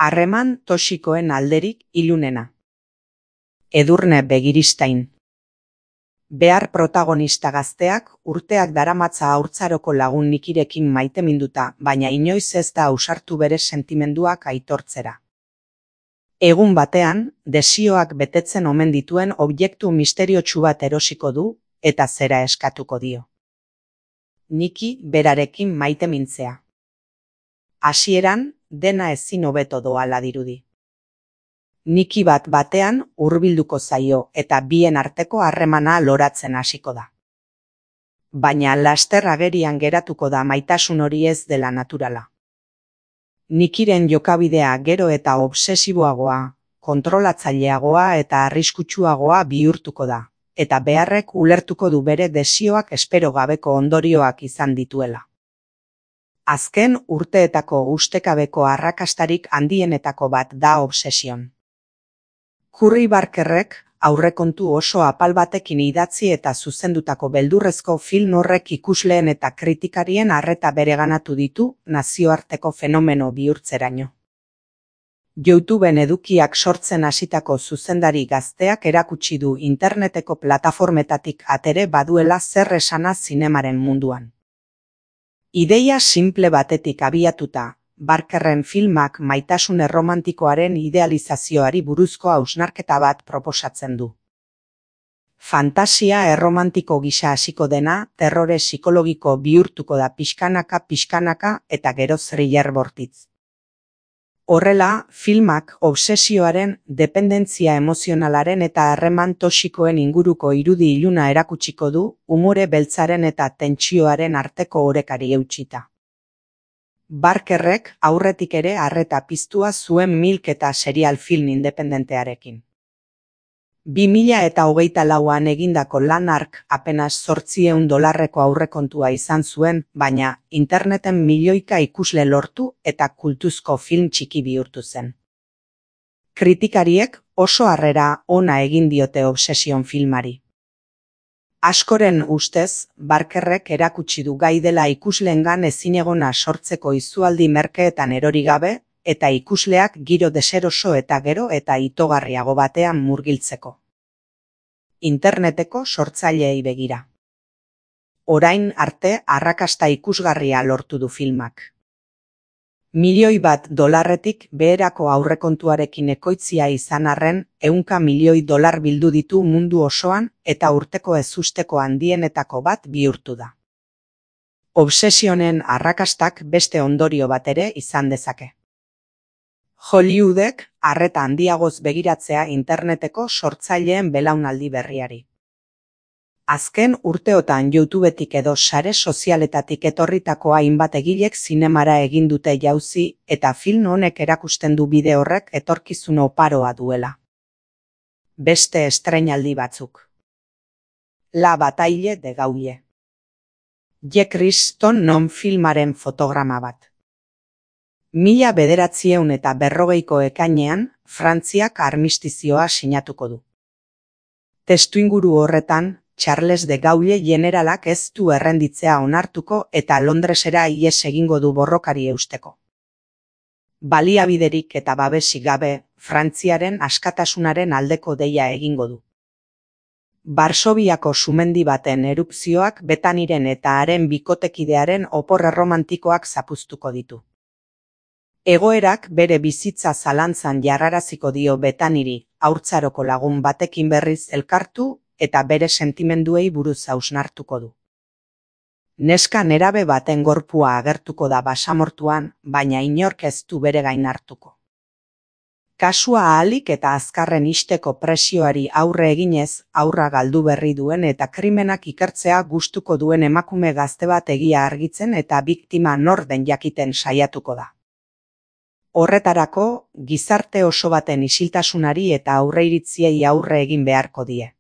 Harreman toxikoen alderik ilunena. Edurne Begiristain. Behar protagonista gazteak urteak daramatza haurtzaroko lagun Nikirekin maiteminduta, baina inoiz ez da ausartu bere sentimenduak aitortzera. Egun batean, desioak betetzen omen dituen objektu misteriotsu bat erosiko du, eta zera eskatuko dio. Niki berarekin maitemintzea. Hasieran, dena ezin hobeto doala dirudi. Niki batean hurbilduko zaio eta bien arteko harremana loratzen hasiko da. Baina laster agerian geratuko da maitasun hori ez dela naturala. Nikiren jokabidea gero eta obsesiboagoa, kontrolatzaileagoa eta arriskutsuagoa bihurtuko da, eta beharrek ulertuko du bere desioak espero gabeko ondorioak izan dituela. Azken urteetako ustekabeko arrakastarik handienetako bat da Obsession. Curry Barkerrek aurrekontu oso apal batekin idatzi eta zuzendutako beldurrezko film horrek ikusleen eta kritikarien arreta bereganatu ditu nazioarteko fenomeno bihurtzeraino. YouTubeen edukiak sortzen hasitako zuzendari gazteak erakutsi du interneteko plataformetatik atere baduela zer esana zinemaren munduan. Ideia simple batetik abiatuta, Barkerren filmak maitasun erromantikoaren idealizazioari buruzko hausnarketa bat proposatzen du. Fantasia erromantiko gisa hasiko dena, terrore psikologiko bihurtuko da pixkanaka eta gero thriller bortitz. Horrela, filmak obsesioaren, dependentzia emozionalaren eta harreman toxikoen inguruko irudi iluna erakutsiko du, umore beltzaren eta tentsioaren arteko orekari eutsita. Barkerrek aurretik ere arreta piztua zuen Milk eta serial film independentearekin. 2024an egindako lan hark apenas $800 aurrekontua izan zuen, baina interneten milioika ikusle lortu eta kultuzko film txiki bihurtu zen. Kritikariek oso harrera ona egin diote Obsession filmari. Askoren ustez, Barkerrek erakutsi du gai dela ikusleengan ezinegona sortzeko izualdi merkeetan erori gabe, eta ikusleak giro deseroso eta gero eta itogarriago batean murgiltzeko. Interneteko sortzaileei begira. Orain arte arrakasta ikusgarria lortu du filmak. $1 milioi beherako aurrekontuarekin ekoitzia izan arren, $100 milioi bildu ditu mundu osoan eta urteko ezusteko handienetako bat bihurtu da. Obsesionen arrakastak beste ondorio bat ere izan dezake. Hollywoodek arreta handiagoz begiratzea interneteko sortzaileen belaunaldi berriari. Azken urteotan YouTubetik edo sare sozialetatik etorritako hainbat egilek zinemara egin dute jauzi eta film honek erakusten du bide horrek etorkizun oparoa duela. Beste estreinaldi batzuk. La Bataille de Gaulle. Jack Riston non filmaren fotograma bat. 1940ko ekainean, Frantziak armistizioa sinatuko du. Testuinguru horretan, Charles de Gaulle generalak ez du errenditzea onartuko eta Londresera ihes egingo du borrokari eusteko. Baliabiderik eta babesik gabe, Frantziaren askatasunaren aldeko deia egingo du. Varsoviako sumendi baten erupzioak Betaniren eta haren bikotekidearen opor erromantikoak zapuztuko ditu. Egoerak bere bizitza zalantzan jarraraziko dio Betaniri, haurtzaroko lagun batekin berriz elkartu eta bere sentimenduei buruz hausnartuko du. Neska nerabe baten gorpua agertuko da basamortuan, baina inork ez du bere gain hartuko. Kasua ahalik eta azkarren ixteko presioari aurre eginez, haurra galdu berri duen eta krimenak ikertzea gustuko duen emakume gazte bat egia argitzen eta biktima nor den jakiten saiatuko da. Horretarako, gizarte oso baten isiltasunari eta aurreiritziei aurre egin beharko die.